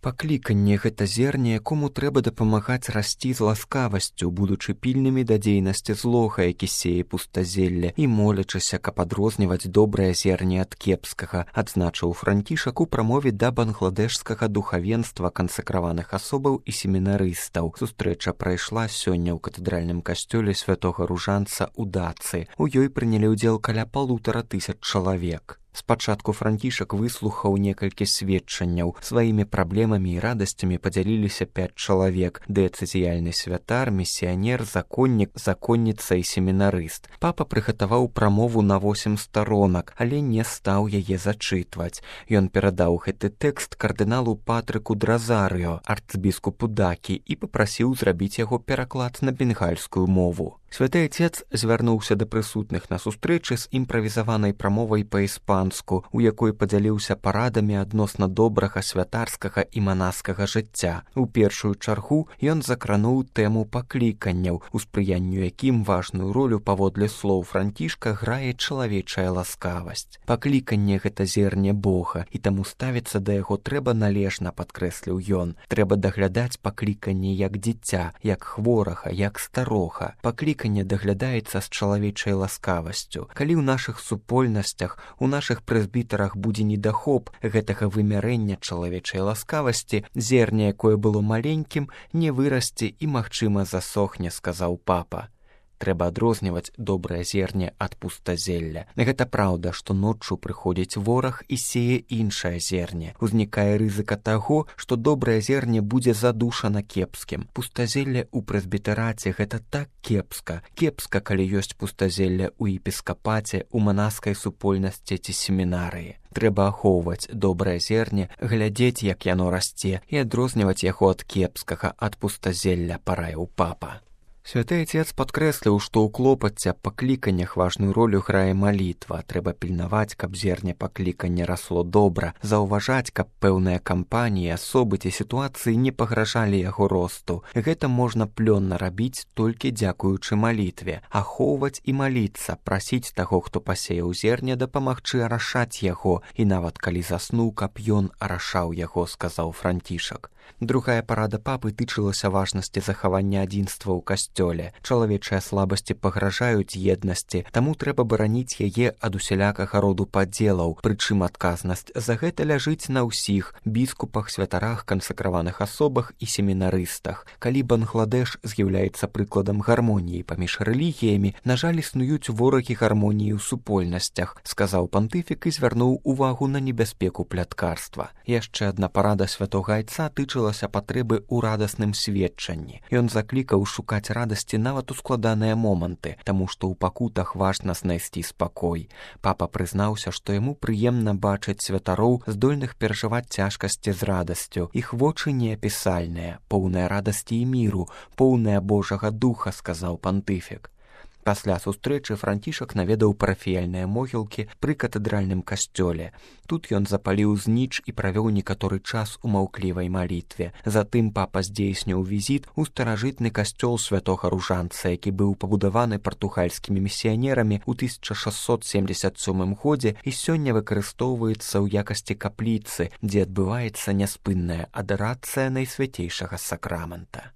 Пакліканне гэта зерне, якому трэба дапамагаць расці з ласкавасцю, будучы пільнымі да дзейнасці злога, які сее пустазелле, і молячыся, каб адрозніваць добрае зерне ад кепскага, адзначыў Францішак у прамове да бангладэшскага духавенства, кансакраваных асобаў і семінарыстаў. Сустрэча прайшла сёння ў катэдральным касцёле святога Ружанца ў Дацы. У ёй прынялі ўдзел каля 1500 чалавек. Спачатку Францішак выслухаў некалькі сведчанняў. Сваімі праблемамі і радасцямі падзяліліся 5 чалавек: дыяцэзіяльны святар, місіянер, законнік, законніца і семінарыст. Папа прыгатаваў прамову на 8 старонак, але не стаў яе зачытваць. Ён перадаў гэты тэкст кардыналу Патрыку Дразарыо, арцбіскупу Дакі, і папрасіў зрабіць яго пераклад на бенгальскую мову. Святы Отец звярнуўся да прысутных на сустрэчы з імправізаванай прамовай па-іспанску, у якой падзяліўся парадамі адносна добрага святарскага і манаскага жыцця. У першую чаргу ён закрануў тэму пакліканняў, у спрыянню якім важную ролю, паводле слоў Францішка, грае чалавечая ласкавасць. Пакліканне гэта зерне Бога, і таму ставіцца да яго трэба належна, падкрэсліў ён. Трэба даглядаць пакліканне як дзіця, як хворага, як старога. Пакліканне даглядаецца з чалавечай ласкавасцю. Калі ў нашых супольнасцях, у нашых прэзбітарах будзе недахоп гэтага вымярэння чалавечай ласкавасці, зерне, якое было маленькім, не вырасце і, магчыма, засохне, сказаў папа. Трэба адрозніваць добрае зерне ад пустазелля. Гэта праўда, што ноччу прыходзіць вораг і сее іншае зерне. Узнікае рызыка таго, што добрае зерне будзе задушана кепскім. Пустазелле ў прэзбітараце гэта так кепска. Кепска, калі ёсць пустазелле ў епіскапаце, у манаскай супольнасці ці семінарыі. Трэба ахоўваць добрае зерне, глядзець, як яно расце, і адрозніваць яго ад кепскага, ад пустазелля, параіў папа. Святы Отец падкрэсліў, што ў клопаце пакліканнях важную ролю грае малітва. Трэба пільнаваць, каб зерне паклікання расло добра, заўважаць, каб пэўныя кампаніі, асобы ці сітуацыі не пагражалі яго росту. Гэта можна плённа рабіць толькі дзякуючы малітве. Ахоўваць і маліцца, прасіць таго, хто пасеяў зерне, дапамагчы арашаць яго, і нават калі заснуў, каб ён арашаў яго, сказаў Францішак. Другая парада папы тычылася важнасці захавання адзінства ў касцёле. Чалавечыя слабасці пагражаюць еднасці, таму трэба бараніць яе ад усялякага роду падзелаў, прычым адказнасць за гэта ляжыць на ўсіх біскупах, святарах, кансакраваных асобах і семінарыстах. Калі Бангладэш з'яўляецца прыкладам гармоніі паміж рэлігіямі, на жаль, існуюць ворагі гармоніі ў супольнасцях, сказаў пантыфік і звярнуў увагу на небяспеку пляткарства. Яшчэ адна парада святога Айца тычылася патрэбы ў радасным сведчанні. Ён заклікаў шукаць радасці нават у складаныя моманты, таму што ў пакутах важна знайсці спакой. Папа прызнаўся, што яму прыемна бачыць святароў, здольных перажываць цяжкасці з радасцю. Іх вочы неапісальныя, поўныя радасці і міру, поўныя Божага духа, сказаў пантыфік. Пасля сустрэчы Францішак наведаў парафіяльныя могілкі пры катэдральным касцёле. Тут ён запаліў зніч і правёў некаторы час у маўклівай малітве. Затым папа здзейсніў візіт у старажытны касцёл святога Ружанца, які быў пабудаваны партугальскімі місіянерамі ў 1677 годзе і сёння выкарыстоўваецца ў якасці капліцы, дзе адбываецца няспынная адарацыя найсвяцейшага сакрамента.